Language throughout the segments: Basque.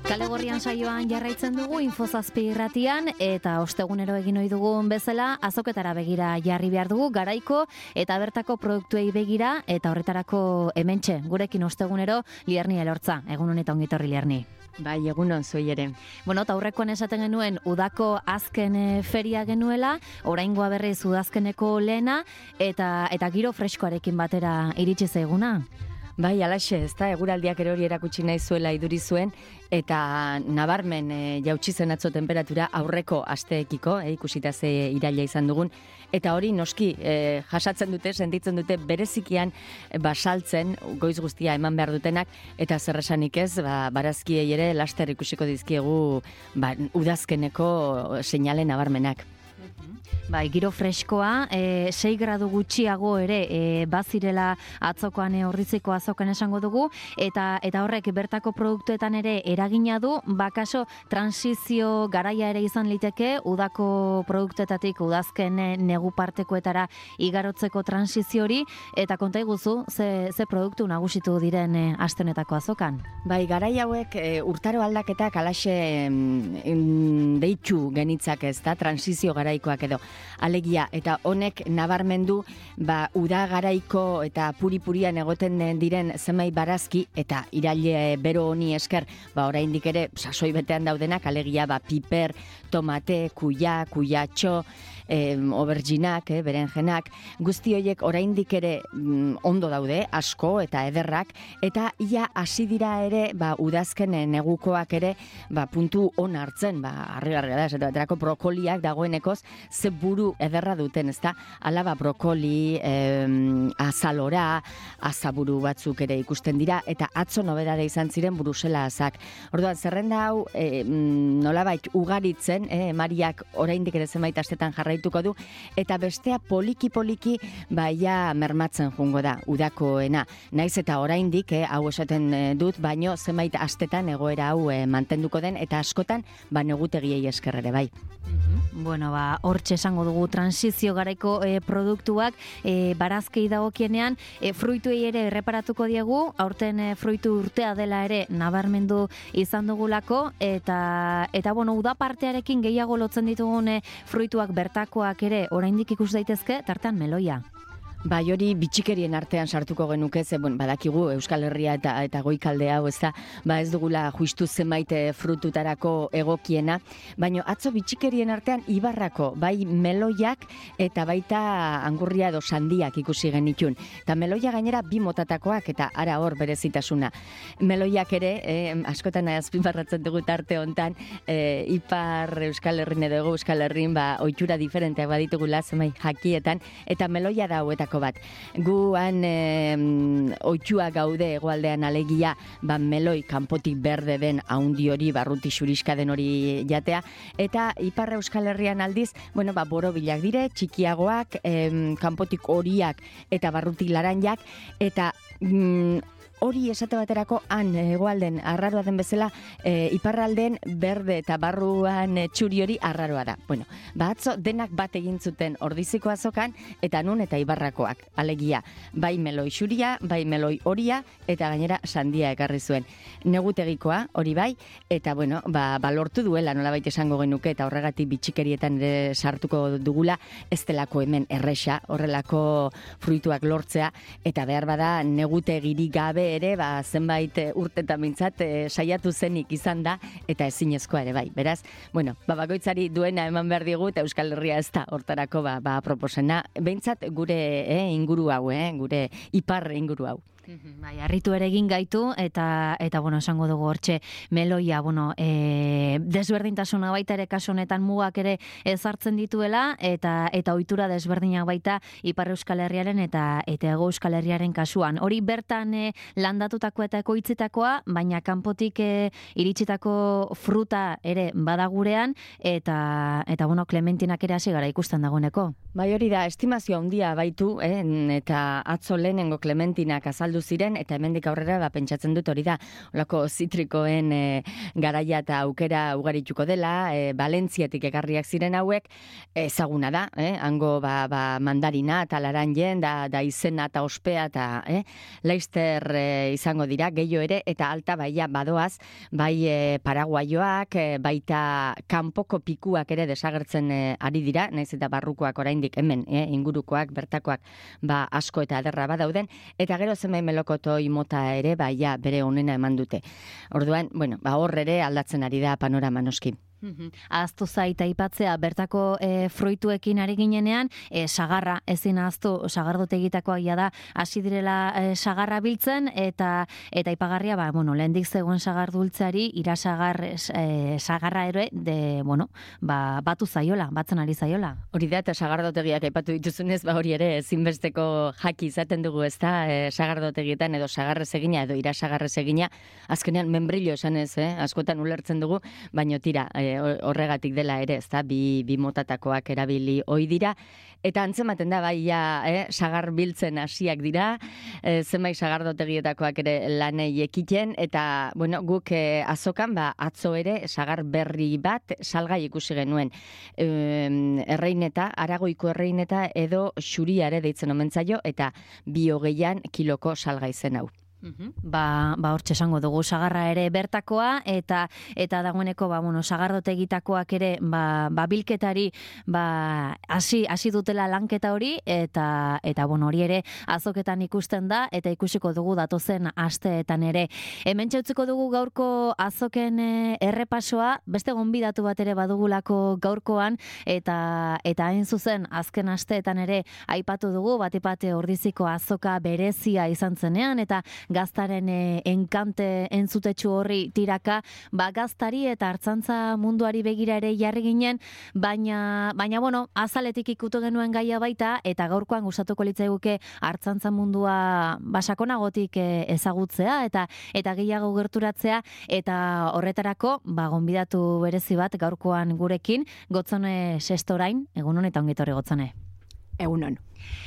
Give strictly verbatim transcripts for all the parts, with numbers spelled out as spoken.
Kale Gorrian saioan jarraitzen dugu Infozazpi irratian eta ostegunero egin ohi dugun bezala azoketara begira jarri behar dugu garaiko eta bertako produktuei begira eta horretarako hementxe gurekin ostegunero Lierni Elortza. Egun honetan ongi etorri Lierni. Bai, egunon zuei ere. Bueno, eta aurrekoan esaten genuen udako azken e, feria genuela, oraingoa berriz udazkeneko lehena eta eta giro freskoarekin batera iritsi zaiguna. Bai, alaxe, ez da, eguraldiak ere hori erakutsi nahi zuela iduri zuen, eta nabarmen e, jautsi zen atzo temperatura aurreko asteekiko, e, ikusita ze iraila izan dugun, eta hori noski e, jasatzen dute, sentitzen dute berezikian e, basaltzen, goiz guztia eman behar dutenak, eta zerresanik ez, ba, barazkiei ere laster ikusiko dizkiegu ba, udazkeneko seinale nabarmenak. Bai, giro freskoa, e, sei gradu gutxiago ere e, bazirela atzokoan e, orriziko azokan esango dugu, eta eta horrek bertako produktuetan ere eragina du, bakaso transizio garaia ere izan liteke, udako produktuetatik udazken e, negu partekoetara igarotzeko transizio hori, eta konta iguzu, ze, ze produktu nagusitu diren e, astenetako azokan? Bai, garai hauek e, urtaro aldaketak alaxe mm, deitu genitzak ez da, transizio garaikoak edo. Alegia, eta honek nabarmendu ba, uda garaiko eta puri-purian egoten diren zenbait barazki eta iraile bero honi esker, ba, oraindik ere sasoi betean daudenak, alegia ba, piper, tomate, kuia, kuiatxo, eh, oberginak, eh, berenjenak, guzti horiek oraindik ere mm, ondo daude, asko eta ederrak, eta ia hasi dira ere ba, udazken negukoak ere ba, puntu on hartzen, ba, harri-harri da, ez baterako brokoliak dagoenekoz, ze buru ederra duten, ezta? Hala ba brokoli, eh, azalora, azaburu batzuk ere ikusten dira, eta atzo nobedade izan ziren Bruselazak. Orduan, zerrenda hau eh, nolabait ugaritzen, eh, Mariak oraindik ere zenbait astetan jarraituko du, eta bestea poliki-poliki baia mermatzen jungo da, udakoena. Naiz eta oraindik, eh, hau esaten eh, dut, baino zenbait astetan egoera hau eh, mantenduko den, eta askotan, ba negutegiei esker ere bai. Bueno, ba, hortxe esango dugu transizio garaiko e, produktuak e, barazkei dagokienean, e, fruituei ere erreparatuko diegu, aurten e, fruitu urtea dela ere nabarmendu izan dugulako, eta, eta bueno, uda partearekin gehiago lotzen ditugun e, fruituak bertakoak ere oraindik ikus daitezke, tartean meloia. Bai, hori bitxikerien artean sartuko genuke, ze bon, badakigu Euskal Herria eta eta goikalde hau, ez da, ba ez dugula justu zenbait frututarako egokiena, baino atzo bitxikerien artean ibarrako, bai meloiak eta baita angurria edo sandiak ikusi genitun. Eta meloia gainera bi motatakoak eta ara hor berezitasuna. Meloiak ere, eh, askotan azpimarratzen dugu tarte hontan, eh, ipar Euskal Herrin edo ego Euskal Herrin ba ohitura diferenteak baditugula zenbait jakietan, eta meloia da hauetako bat. Guan e, oitua gaude hegoaldean alegia, ba meloi kanpotik berde den haundi hori, barruti xuriska den hori jatea, eta ipar Euskal Herrian aldiz, bueno, ba borobilak dire, txikiagoak, em, kanpotik horiak eta barruti laranjak, eta mm, hori esate baterako han hegoalden arraroa den bezala, e, iparralden berde eta barruan e, txuri hori arraroa da. Bueno, ba atzo denak bat egin zuten ordiziko azokan, eta nun eta ibarrakoak. Alegia, bai meloi xuria, bai meloi horia, eta gainera sandia ekarri zuen. Negutegikoa, hori bai, eta bueno, ba, ba lortu duela nolabait esango genuke, eta horregatik bitxikerietan ere sartuko dugula, ez delako hemen erresa, horrelako fruituak lortzea, eta behar bada negutegirik gabe ere, ba, zenbait urtetan mintzat e, saiatu zenik izan da, eta ezinezkoa ere bai. Beraz, bueno, ba, bakoitzari duena eman behar digu, eta Euskal Herria ez da hortarako ba, ba, proposena. Behintzat gure eh, inguru hau, eh, gure ipar inguru hau. Bai, harritu ere egin gaitu, eta, eta bueno, esango dugu hortxe, meloia, bueno, e, desberdintasuna baita ere kasu honetan mugak ere ezartzen dituela, eta eta ohitura desberdinak baita Ipar Euskal Herriaren eta eta Hego Euskal Herriaren kasuan. Hori bertan e, landatutako eta ekoitzitakoa, baina kanpotik e, iritsitako fruta ere badagurean, eta, eta bueno, Clementinak ere hasi gara ikusten dagoeneko. Bai, hori da, estimazio handia baitu, eh, eta atzo lehenengo Clementinak azaldu heldu ziren, eta hemendik aurrera ba, pentsatzen dut hori da, olako zitrikoen e, garaia eta aukera ugarituko dela, e, Valentziatik ekarriak ziren hauek, ezaguna da, eh? Hango ba, ba, mandarina eta laranjen, da, da izena eta ospea eta eh? Leister e, izango dira, gehiago ere, eta alta baia badoaz, bai e, paraguaioak, e, baita kanpoko pikuak ere desagertzen e, ari dira, naiz eta barrukoak oraindik hemen, eh? Ingurukoak, bertakoak, ba, asko eta ederra badauden, eta gero zenbait melokotoi mota ere, ba, ja, bere onena eman dute. Orduan, bueno, ba, hor ere aldatzen ari da panorama noski. Ahaztu zaita aipatzea bertako e, fruituekin ari ginenean, e, sagarra ezin ahaztu, sagardotegitakoa ia da hasi direla e, sagarra biltzen, eta eta aipagarria, ba, bueno, lehendik zegoen sagardultzeari irasagar e, sagarra ere de, bueno, ba, batu zaiola, batzen ari zaiola. Hori da, eta sagardotegiak aipatu dituzunez, ba hori ere ezinbesteko jaki izaten dugu, ezta, e, sagardotegietan edo sagarrez egina edo irasagarrez egina, azkenean membrillo esanez, eh, askotan ulertzen dugu, baino tira, e, horregatik dela ere, ezta, bi, bi motatakoak erabili ohi dira, eta antzematen da, bai, ja, eh, sagar biltzen hasiak dira, eh, zenbait sagardotegietakoak ere lanei ekiten, eta, bueno, guk eh, azokan, ba, atzo ere, sagar berri bat salgai ikusi genuen. E, erreineta, Aragoiko erreineta edo xuriare deitzen omen zaio, eta bi hogeian kiloko salgai zen hau. Uhum. Ba, ba hortxe esango dugu sagarra ere bertakoa, eta eta dagoeneko ba bueno, sagardotegitakoak ere ba, ba bilketari ba hasi hasi dutela lanketa hori, eta eta bueno, hori ere azoketan ikusten da, eta ikusiko dugu datozen asteetan ere. Hementxe utziko dugu gaurko azoken e, errepasoa, beste gonbidatu bat ere badugulako gaurkoan, eta eta hain zuzen azken asteetan ere aipatu dugu batipate Ordiziko azoka berezia izan zenean, eta gaztaren e, enkante entzutetsu horri tiraka, ba gaztari eta artzantza munduari begira ere jarri ginen, baina, baina bueno, azaletik ikutu genuen gaia baita, eta gaurkoan gustatuko litzaiguke artzantza mundua basakonagotik e, ezagutzea, eta eta gehiago gerturatzea, eta horretarako, ba gonbidatu berezi bat gaurkoan gurekin, Gotzone Sestorain, egunon eta ongitorri Gotzone. Egunon.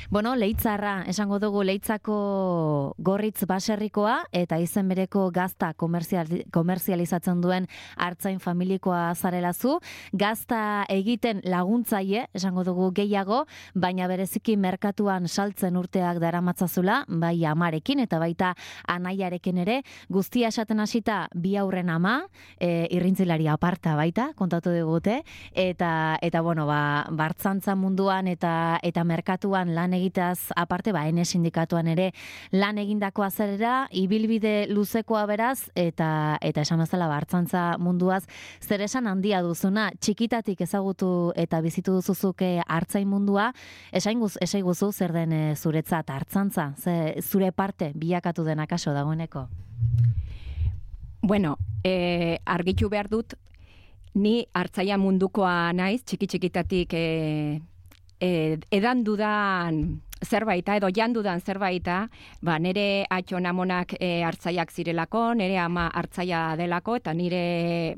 Bueno, Leitzarra, esango dugu Leitzako Gorritz baserrikoa, eta izen bereko gazta komerzial, komerzializatzen duen artzain familikoa zarelazu. Gazta egiten laguntzaile, esango dugu gehiago, baina bereziki merkatuan saltzen urteak daramatzazula, bai amarekin eta baita anaiarekin ere, guztia esaten hasita bi aurren ama, e, irrintzilari aparta baita, kontatu digute, eta, eta bueno, ba, bartzantza munduan eta, eta merkatuan lan egitaz aparte, ba, ene sindikatuan ere lan egindako azerera, ibilbide luzekoa beraz, eta eta esan bezala bartzantza munduaz, zer esan handia duzuna, txikitatik ezagutu eta bizitu duzuzuke artzain mundua, esainguz, esaiguzu zer den e, zuretzat hartzantza, ze, zure parte bilakatu den akaso dagoeneko? Bueno, eh, argitu behar dut, ni hartzaia mundukoa naiz, txiki-txikitatik eh, eh, edan dudan zerbaita, edo jandudan zerbaita, ba, nire atxon amonak e, hartzaiak zirelako, nire ama hartzaia delako, eta nire,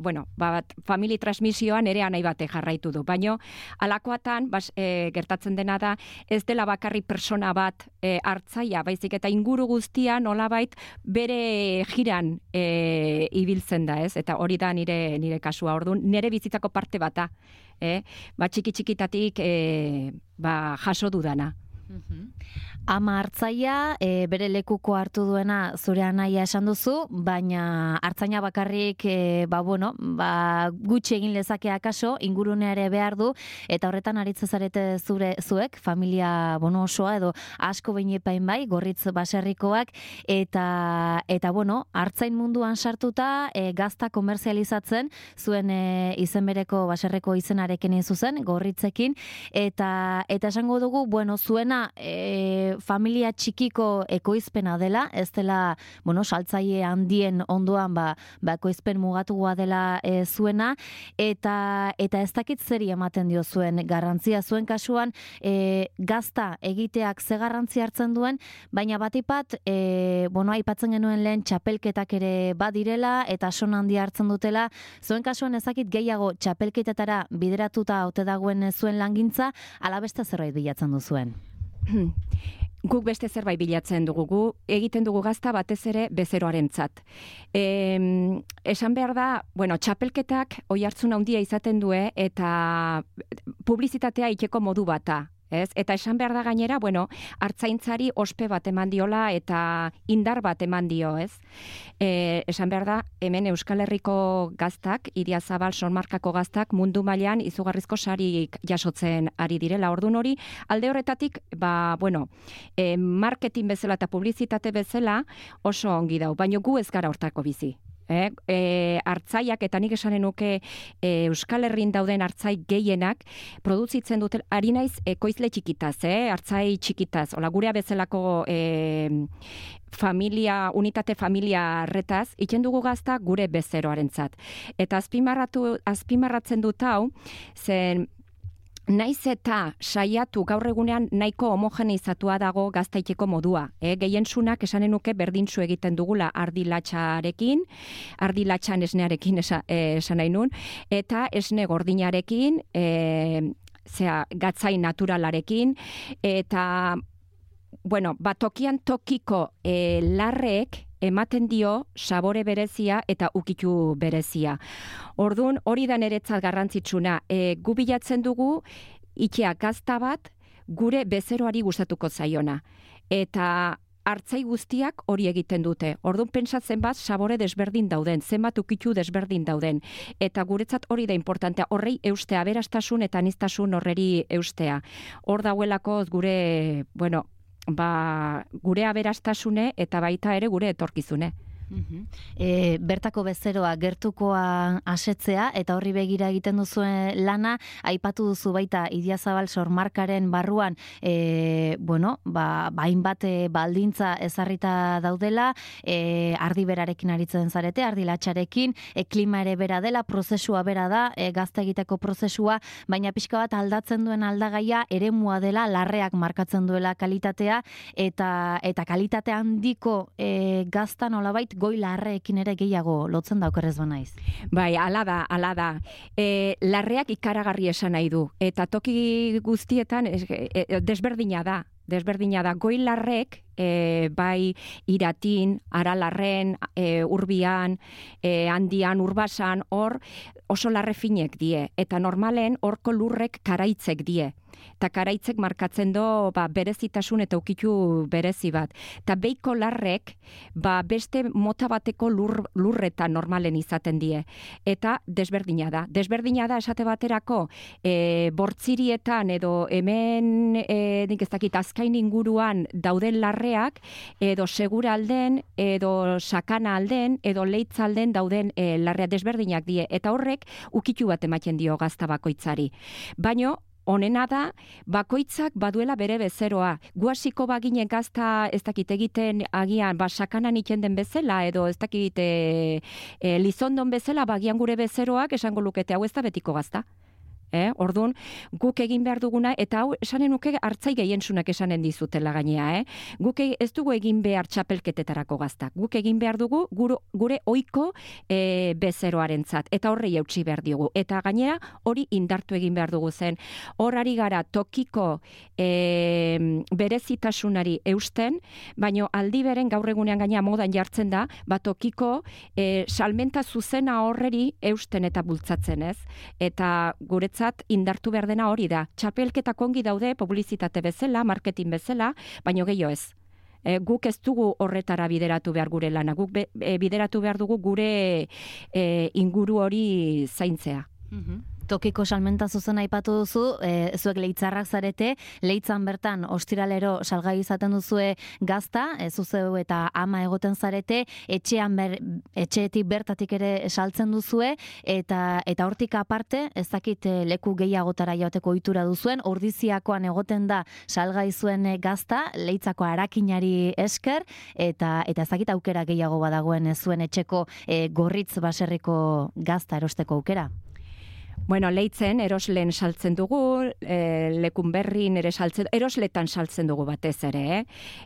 bueno, bat, famili transmisioa nire anai bate jarraitu du. Baina, alakoatan, bas, e, gertatzen dena da, ez dela bakarri persona bat e, hartzaia, baizik eta inguru guztia nolabait bere jiran e, ibiltzen da, ez? Eta hori da nire, nire kasua, orduan, nire bizitzako parte bata, eh? Ba, txiki-txikitatik e, ba, jaso dudana. Ama hartzaia, e, bere lekuko hartu duena zure anaia esan duzu, baina hartzaina bakarrik e, ba, bueno, ba, gutxi egin lezake akaso, ingurunea ere behar du, eta horretan aritzen zarete zure zuek, familia bono osoa edo asko behin epain bai, Gorritz baserrikoak, eta, eta bueno, hartzain munduan sartuta, e, gazta komerzializatzen, zuen e, izen bereko baserreko izenarekin zuzen, Gorritzekin, eta, eta esango dugu, bueno, zuena e, familia txikiko ekoizpena dela, ez dela, bueno, saltzaile handien ondoan ba, ba ekoizpen mugatugoa dela e, zuena, eta eta ez dakit zeri ematen dio zuen garrantzia, zuen kasuan e, gazta egiteak ze garrantzi hartzen duen, baina batipat, e, bueno, aipatzen genuen lehen txapelketak ere badirela, eta son handia hartzen dutela, zuen kasuan ez dakit gehiago txapelketetara bideratuta ote dagoen zuen langintza, ala beste zerbait bilatzen du zuen. guk beste zerbait bilatzen dugu, gu egiten dugu gazta batez ere bezeroarentzat. E, esan behar da, bueno, txapelketak oi hartzun handia izaten due eta publizitatea ikeko modu bata. Ez? Eta esan behar da gainera, bueno, hartzaintzari ospe bat eman diola eta indar bat eman dio, ez? E, esan behar da, hemen Euskal Herriko gaztak, Idiazabal Sonmarkako gaztak, mundu mailan izugarrizko sarik jasotzen ari direla. Ordun hori, alde horretatik, ba, bueno, e, marketing bezala eta publizitate bezala oso ongi dau, baina gu ez gara hortako bizi. Eh, e, hartzaiak eta nik esanen nuke e, Euskal Herrin dauden hartzai gehienak produzitzen dute, ari naiz ekoizle txikitaz, eh, hartzai txikitaz, ola gurea bezalako e, familia, unitate familia arretaz, itzen dugu gazta gure bezeroarentzat. Eta azpimarratu, azpimarratzen dut hau, zen naiz eta saiatu gaur egunean nahiko homogeneizatua dago gaztaiteko modua. Eh? Gehientsunak esanen nuke berdintzu egiten dugula ardilatxarekin, ardilatxan esnearekin esa, eh, esan nahi nun, eta esne gordinarekin, eh, zera, gatzai naturalarekin, eta bueno, batokian tokiko eh, larrek ematen dio sabore berezia eta ukitu berezia. Ordun hori da niretzat garrantzitsuna. E, gu bilatzen dugu itxea gazta bat gure bezeroari gustatuko zaiona. Eta hartzai guztiak hori egiten dute. Ordun pentsatzen bat sabore desberdin dauden, zenbat ukitu desberdin dauden. Eta guretzat hori da importantea. Horrei eustea, aberastasun eta aniztasun horreri eustea. Hor dauelako gure, bueno, ba, gure aberastasune eta baita ere gure etorkizune. E, bertako bezeroa gertukoa asetzea eta horri begira egiten duzuen lana, aipatu duzu baita Idiazabal Sormarkaren barruan e, bueno, ba, hainbat e, baldintza ezarrita daudela, e, ardi berarekin aritzen zarete, ardi latxarekin, e, klima ere bera dela, prozesua bera da, e, gazta egiteko prozesua, baina pixka bat aldatzen duen aldagaia eremua dela, larreak markatzen duela kalitatea, eta, eta kalitate handiko e, gazta nolabait goi larreekin ere gehiago lotzen da okerrez banaiz. Bai, ala da, ala da. E, larreak ikaragarri esan nahi du. Eta toki guztietan e, e, desberdina da. Desberdina da. Goi larrek, e, bai Iratin, Aralarren, e, Urbian, e, Handian, Urbasan, hor oso larre finek die. Eta normalen horko lurrek karaitzek die. Eta karaitzek markatzen do ba, berezitasun eta ukitu berezi bat. Eta beiko larrek ba, beste mota bateko lur, lurretan normalen izaten die. Eta desberdina da. Desberdina da esate baterako e, bortzirietan edo hemen e, nik ez dakit azkain inguruan dauden larreak edo segura alden, edo sakana alden, edo leitza alden dauden e, larrea desberdinak die. Eta horrek ukitu bat ematen dio gazta bakoitzari. Baino, honena da, bakoitzak baduela bere bezeroa. Guasiko bagine gazta ez dakit egiten agian, ba, sakanan iten den bezala, edo ez dakit e, e, lizondon bezala, bagian gure bezeroak esango lukete hau ez da betiko gazta. Eh? Orduan, guk egin behar duguna, eta hau esanen nuke hartzai gehientsunak esanen dizutela gainea. Eh? Guk ez dugu egin behar txapelketetarako gaztak. Guk egin behar dugu gure, gure oiko e, bezeroarentzat. Eta horrei eutsi behar dugu. Eta gainera hori indartu egin behar dugu zen. Horari gara tokiko e, berezitasunari eusten, baino aldi beren gaur egunean gainea modan jartzen da, ba tokiko e, salmenta zuzena horreri eusten eta bultzatzen, ez? Eta guretzat indartu behar dena hori da. Txapelketak ongi daude, publizitate bezala, marketing bezala, baino gehiago ez. E, guk ez dugu horretara bideratu behar gure lana. Guk be, e, bideratu behar dugu gure e, inguru hori zaintzea. Mm-hmm. Tokiko salmenta zuzen aipatu duzu, e, zuek leitzarrak zarete, leitzan bertan ostiralero salgai izaten duzue gazta, e, zuzeu eta ama egoten zarete, etxean ber, etxeetik bertatik ere saltzen duzue, eta eta hortik aparte, ez dakit leku gehiagotara joateko ohitura duzuen, ordiziakoan egoten da salgai zuen gazta, leitzako arakinari esker, eta eta ez dakit aukera gehiago badagoen zuen etxeko e, gorritz baserriko gazta erosteko aukera. Bueno, leitzen eroslen saltzen dugu, e, lekun berrin ere saltzen, erosletan saltzen dugu batez ere, eh?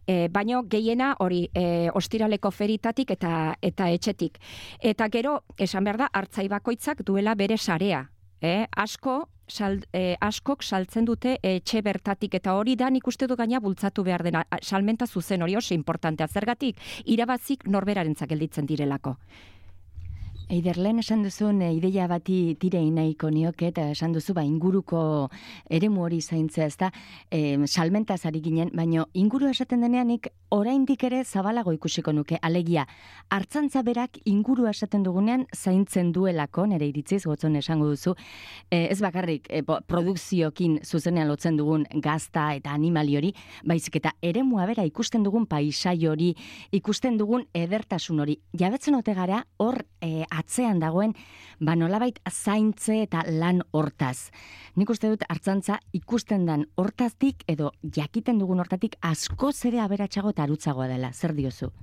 E, baino gehiena hori e, ostiraleko feritatik eta eta etxetik. Eta gero, esan behar da, hartzai bakoitzak duela bere sarea. Eh? Asko sal, e, askok saltzen dute etxe bertatik, eta hori da nik uste du gaina bultzatu behar dena, salmenta zuzen hori oso importantea, zergatik irabazik norberarentzak gelditzen direlako. Eider, lehen esan duzun e, ideia bati tire nahiko nioke, eta esan duzu ba, inguruko eremu hori zaintzea, ez da, e, salmentaz ari ginen, baina inguru esaten denean nik oraindik ere zabalago ikusiko nuke, alegia, hartzantza berak inguru esaten dugunean zaintzen duelako, nire iritziz, gotzon esango duzu, e, ez bakarrik e, produkziokin zuzenean lotzen dugun gazta eta animali hori, baizik eta eremua bera ikusten dugun paisai hori, ikusten dugun edertasun hori, jabetzen ote gara hor e, atzean dagoen, ba nolabait zaintze eta lan hortaz. Nik uste dut hartzantza ikusten dan hortaztik edo jakiten dugun hortatik askoz ere aberatsago eta arutzagoa dela. Zer diozu?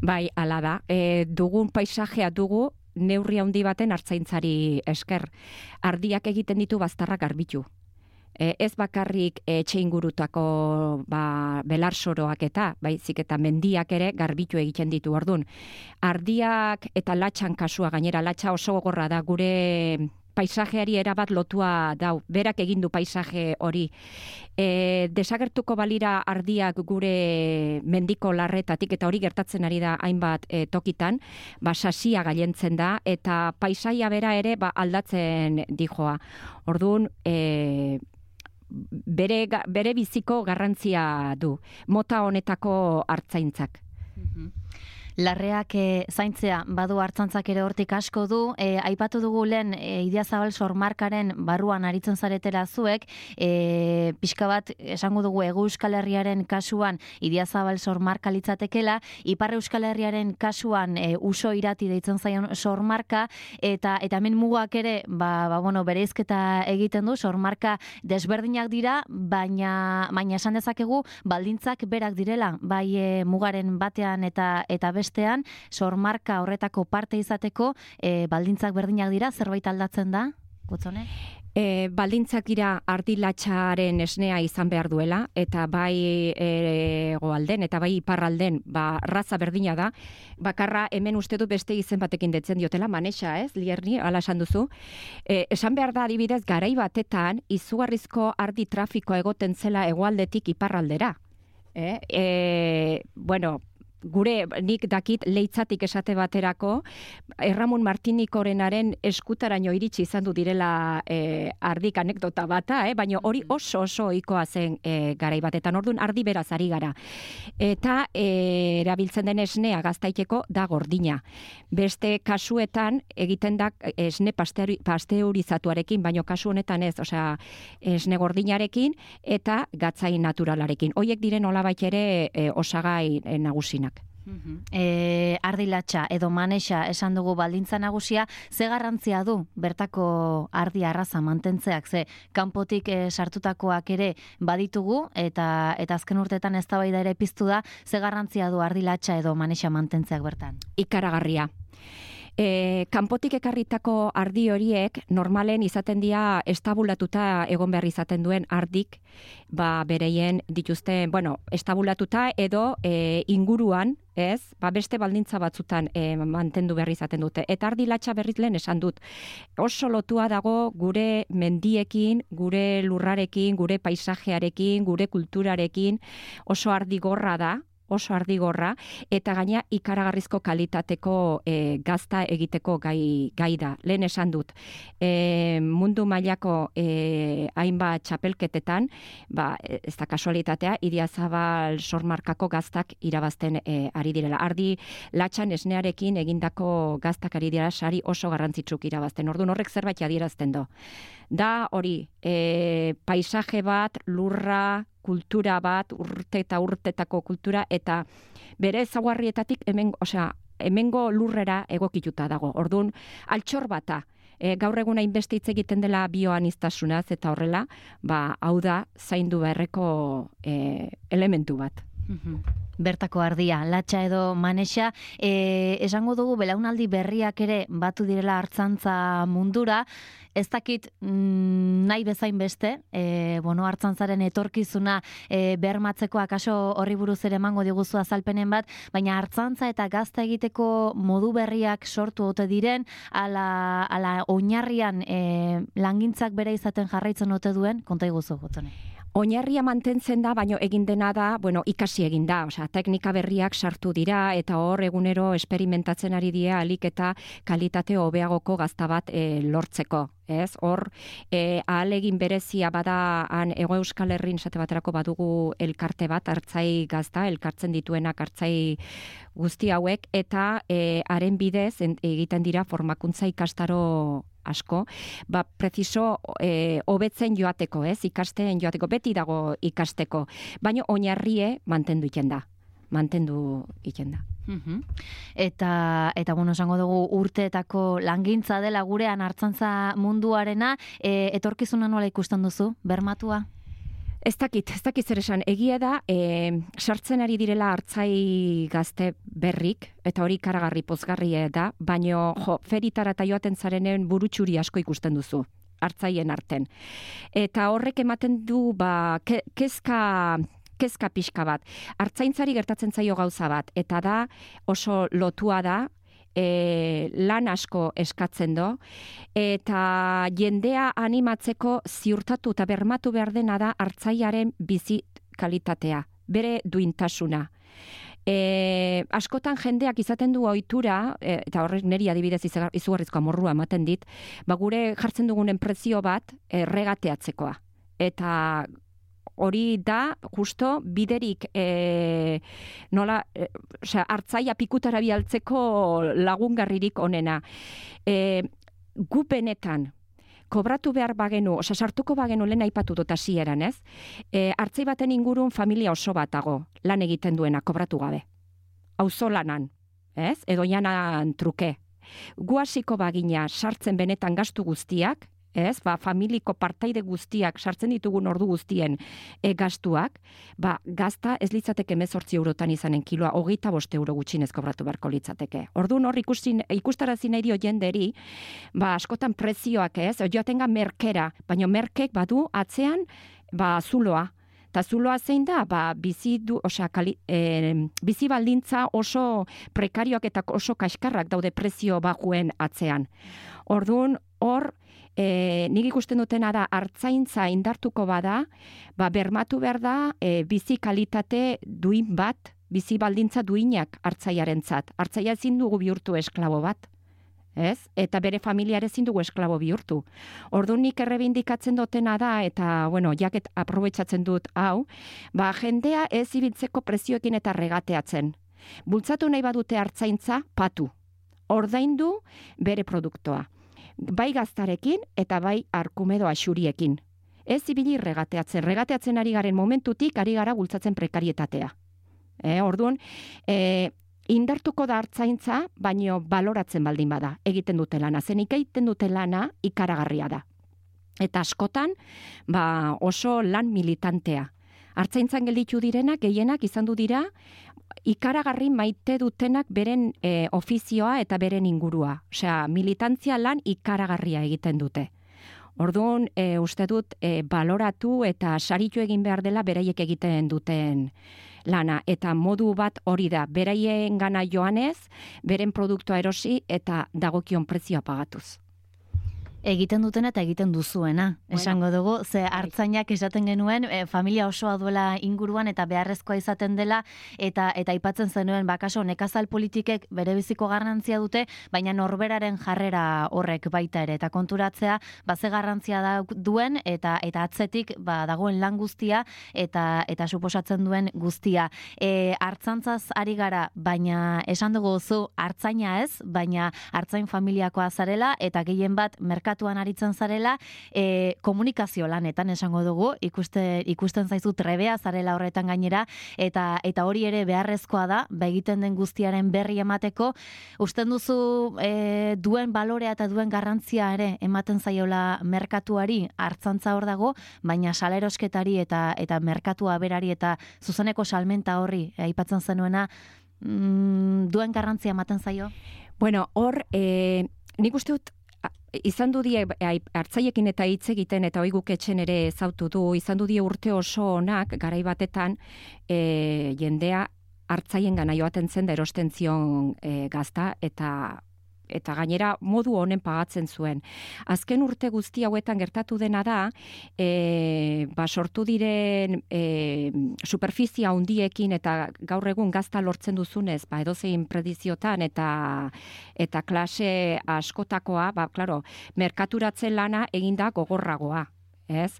Bai, hala da. E, dugun paisajea dugu neurri handi baten hartzaintzari esker. Ardiak egiten ditu baztarrak garbitu. E, ez bakarrik etxe ingurutako ba, belarsoroak eta, baizik eta mendiak ere garbitu egiten ditu. Ordun, ardiak eta latxan kasua, gainera latxa oso gogorra da, gure paisajeari erabat lotua dau, berak egin du paisaje hori. E, desagertuko balira ardiak gure mendiko larretatik, eta hori gertatzen ari da hainbat e, tokitan, ba, sasia gailentzen da, eta paisaia bera ere ba, aldatzen dijoa. Orduan, e, bere, bere biziko garrantzia du, mota honetako hartzaintzak. Larreak e, zaintzea badu hartzantzak ere hortik asko du. E, aipatu dugu lehen e, Idiazabal sormarkaren barruan aritzen zaretela zuek, e, pixka bat esango dugu Hego Euskal Herriaren kasuan Idiazabal sormarka litzatekela, Ipar Euskal Herriaren kasuan e, Uso Irati deitzen zaion sormarka, eta eta hemen mugak ere ba, ba, bueno, bereizketa egiten du, sormarka desberdinak dira, baina baina esan dezakegu baldintzak berak direla, bai e, mugaren batean eta eta bestean, sormarka horretako parte izateko, e, baldintzak berdinak dira, zerbait aldatzen da, Gotzone? E, baldintzak dira ardilatxaren esnea izan behar duela, eta bai hegoalden eta bai iparralden ba, raza berdina da, bakarra hemen uste du beste izen batekin detzen diotela, Manexa, ez, Lierni, ala esan duzu. E, esan behar da, adibidez, garai batetan, izugarrizko ardi trafikoa egoten zela hegoaldetik iparraldera. E, e, bueno, gure, nik dakit leitzatik esate baterako, Erramun Martinikorenaren eskutaraino iritsi izan du direla e, ardik anekdota bata, eh? Baina hori oso oso ohikoa zen e, garai batetan, orduan ardi beraz ari gara. Eta e, erabiltzen den esnea gaztaiteko da gordina. Beste kasuetan egiten da esne pasteurizatuarekin, baina kasu honetan ez, osea, esne gordinarekin eta gatzain naturalarekin. Hoiek diren nolabait ere e, osagai e, nagusinak. E, ardilatxa edo Manexa esan dugu baldintza nagusia, ze garrantzia du bertako ardi arraza mantentzeak, ze kanpotik e, sartutakoak ere baditugu, eta eta azken urteetan eztabaida ere piztu da, ze garrantzia du ardilatxa edo Manexa mantentzeak bertan? Ikaragarria. E, kanpotik ekarritako ardi horiek normalen izaten dira estabulatuta egon behar izaten duen ardik, ba bereien dituzten, bueno, estabulatuta edo e, inguruan, ez, ba beste baldintza batzutan e, mantendu behar izaten dute. Eta ardilatxa berriz lehen esan dut, oso lotua dago gure mendiekin, gure lurrarekin, gure paisajearekin, gure kulturarekin, oso ardigorra da, oso ardigorra, eta gaina ikaragarrizko kalitateko e, gazta egiteko gai, gai da. Lehen esan dut, e, mundu mailako e, hainbat txapelketetan, ba, ez da kasualitatea, Idiazabal sormarkako gaztak irabazten e, ari direla. Ardi latxan esnearekin egindako gaztak ari dira sari oso garrantzitsuk irabazten. Orduan horrek zerbait adierazten do. Da hori, e, paisaje bat, lurra, kultura bat, urte eta urtetako kultura, eta bere ezaugarrietatik hemen, osea, hemengo lurrera egokituta dago. Orduan, altxor bata, e, gaur egun hainbeste hitz egiten dela bioaniztasunaz eta horrela, ba, hau da zaindu beharreko e, elementu bat. Bertako ardia, latxa edo manexa, e, esango dugu belaunaldi berriak ere batu direla artzantza mundura, ez dakit mm, nahi bezain beste, e, bueno, artzantzaren etorkizuna e, bermatzeko akaso horri buruz ere emango diguzu azalpenen bat, baina artzantza eta gazta egiteko modu berriak sortu ote diren, ala, ala oinarrian e, langintzak bere izaten jarraitzen ote duen, konta iguzu gotone. Oinarria mantentzen da, baino egin dena da, bueno, ikasi egin da, osea, teknika berriak sartu dira eta hor egunero esperimentatzen ari dira alik eta kalitate hobeagoko gazta bat e, lortzeko. Ez, hor, e, ahalegin berezia bada han Hego Euskal Herrin esate baterako badugu elkarte bat, hartzai gazta, elkartzen dituenak hartzai guzti hauek, eta e, haren bidez en, egiten dira formakuntza ikastaro asko, ba, preciso e, hobetzen joateko, ez, ikasten joateko, beti dago ikasteko, baina oinarrie mantendu iten da, mantendu iten da. Uhum. Eta, eta bueno, esango dugu urteetako langintza dela gurean artzantza munduarena, e, etorkizuna nola ikusten duzu, bermatua? Ez dakit, ez dakit zer esan, egia da, e, sartzen ari direla hartzai gazte berrik, eta hori karagarri pozgarria da, baino jo, feritara eta joaten zarenen burutxuri asko ikusten duzu, hartzaien arten. Eta horrek ematen du, ba, ke, kezka... kezka pixka bat. Artzaintzari gertatzen zaio gauza bat, eta da oso lotua da, e, lan asko eskatzen do, eta jendea animatzeko ziurtatu eta bermatu behar dena da hartzaiaren bizi kalitatea, bere duintasuna. E, askotan jendeak izaten du ohitura, e, eta horrek niri adibidez izugarrizko amorrua ematen dit, ba gure jartzen dugunen prezio bat e, regateatzekoa. Eta hori da, justo, biderik e, nola, e, osea, hartzaia pikutara bialtzeko lagungarririk onena. E, gu benetan, kobratu behar bagenu, osea, sartuko bagenu lehen aipatu dut hasieran, ez? E, hartzai baten ingurun familia oso bat dago, lan egiten duena, kobratu gabe. Auzolanan, ez? Edo janan truke. Gu hasiko bagina sartzen benetan gastu guztiak, ez, ba, familiko partaide guztiak sartzen ditugun ordu guztien e, gastuak, ba, gazta ez litzateke hemezortzi eurotan izanen kiloa, hogeita bost euro gutxinez kobratu beharko litzateke. Orduan hor ikusin, ikustarazi nahi dio jenderi, ba, askotan prezioak ez, joatenga merkera, baina merkek badu atzean, ba, zuloa. Eta zuloa zein da, ba, bizi, du, osea, kali, e, bizi baldintza oso prekarioak eta oso kaskarrak daude prezio bajuen atzean. Orduan, hor, E, nik ikusten dutena da, hartzaintza indartuko bada, ba, bermatu behar da, e, bizi kalitate duin bat, bizi baldintza duinak hartzaiarentzat. Hartzaia ezin dugu bihurtu esklabo bat, ez? Eta bere familiare ezin dugu esklabo bihurtu. Orduan nik errebindikatzen dutena da, eta, bueno, jaket aprobetxatzen dut hau, ba, jendea ez ibiltzeko prezioekin eta regateatzen. Bultzatu nahi badute hartzaintza, patu. Ordaindu bere produktoa. Bai gaztarekin eta bai arkumedo axuriekin. Ez ibili regateatzen. Regateatzen ari garen momentutik ari gara bultzatzen prekarietatea. E, orduan, e, indartuko da hartzaintza, baino baloratzen baldin bada. Egiten dute lana. Zenik egiten dute lana ikaragarria da. Eta askotan, ba, oso lan militantea. Hartzaintzan gelditu direnak, gehienak izan du dira, ikaragarri maite dutenak beren e, ofizioa eta beren ingurua. Osea, militantzia lan ikaragarria egiten dute. Orduan, e, uste dut, e, baloratu eta saritu egin behar dela beraiek egiten duten lana. Eta modu bat hori da, beraien gana joanez, beren produktua erosi eta dagokion prezioa pagatuz. Egiten dutena eta egiten duzuena, bueno, esango dugu, ze hartzainak esaten genuen, e, familia osoa duela inguruan eta beharrezkoa izaten dela, eta eta aipatzen zenuen, bakaso, nekazal politikek bere biziko garrantzia dute, baina norberaren jarrera horrek baita ere, eta konturatzea, baze garrantzia da duen, eta eta atzetik ba, dagoen lan guztia, eta eta suposatzen duen guztia. E, hartzantzaz ari gara, baina esan dugu zu, hartzaina ez, baina hartzain familiakoa zarela, eta gehien bat merkatu merkatuan aritzen zarela, e, komunikazio lanetan esango dugu, ikuste, ikusten zaizu trebea zarela horretan gainera, eta eta hori ere beharrezkoa da, ba egiten den guztiaren berri emateko, usten duzu e, duen balorea eta duen garrantzia ere ematen zaiola merkatuari, hartzantza hor dago, baina salerosketari eta eta merkatua berari eta zuzeneko salmenta horri aipatzen zenuena, mm, duen garrantzia ematen zaio? Bueno, hor, e, nik uste dut, izan du die hartzaiekin eta hitz egiten eta hoi guk etxen ere ezautu du, izan du die urte oso onak garai batetan e, jendea hartzaien gana joaten zen da erosten zion e, gazta eta eta gainera modu honen pagatzen zuen. Azken urte guzti hauetan gertatu dena da, e, ba, sortu diren e, superfizia handiekin eta gaur egun gazta lortzen duzunez, ba, edozein prediziotan eta eta klase askotakoa, ba, klaro, merkaturatzen lana eginda gogorragoa, ez?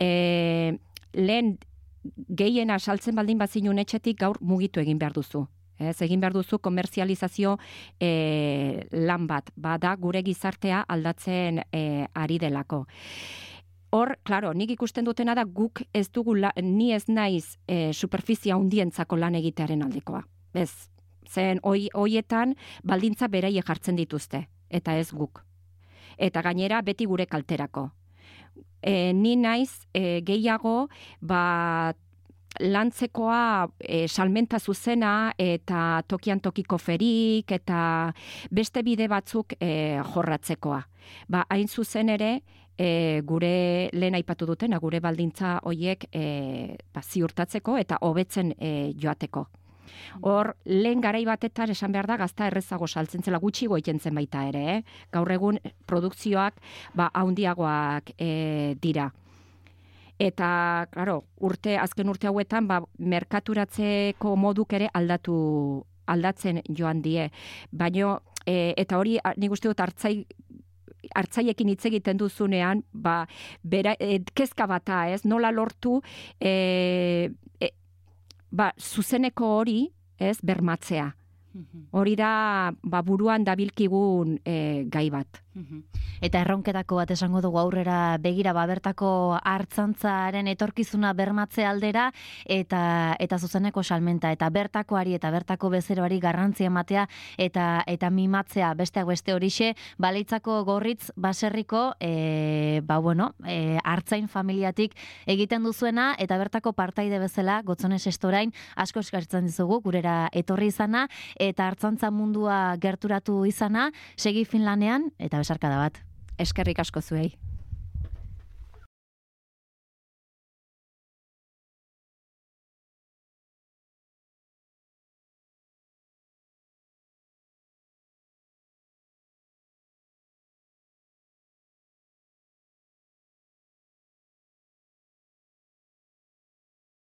E, lehen gehiena saltzen baldin bazinun etxetik gaur mugitu egin behar duzu. Ez, egin behar duzu komerzializazio e, lan bat, bada gure gizartea aldatzen e, ari delako. Hor, klaro, nik ikusten dutena da guk ez dugu, la, ni ez naiz e, superfizia hundientzako lan egitearen aldekoa. Ez, zen hoietan baldintza beraie jartzen dituzte, eta ez guk. Eta gainera beti gure kalterako. E, ni naiz e, gehiago, ba, lantzekoa e, salmenta zuzena eta tokian tokiko ferik eta beste bide batzuk e, jorratzekoa. Ba, hain zuzen ere, e, gure lehen aipatu dutena, gure baldintza hoiek e, ba, ziurtatzeko eta hobetzen e, joateko. Hor, lehen garai batetan esan behar da gazta errezago saltzen zela, gutxigo egiten zen baita ere, eh? Gaur egun produkzioak ba, haundiagoak e, dira. Eta, claro, urte, azken urte hauetan, ba, merkaturatzeko moduk ere aldatu, aldatzen joan die. Baina, e, eta hori, nik uste dut hartzai, hartzaiekin hitz egiten duzunean, ba, bera, e, kezka bata, ez? Nola lortu, e, e, ba, zuzeneko hori, ez, bermatzea. Hori da, ba, buruan dabilkigun e, gai bat. Eta erronketako bat esango dugu aurrera begira, ba, bertako hartzantzaren etorkizuna bermatze aldera eta eta zuzeneko salmenta eta bertakoari eta bertako bezeroari garrantzia ematea eta eta mimatzea besteak beste horixe, Baleitzako Gorritz baserriko e, ba bueno, e, hartzain familiatik egiten duzuena eta bertako partaide bezala Gotzones Estorain asko eskertzen dizugu gurera etorri izana eta hartzantza mundua gerturatu izana, segi Finlanean eta besarkada bat. Eskerrik asko zuei.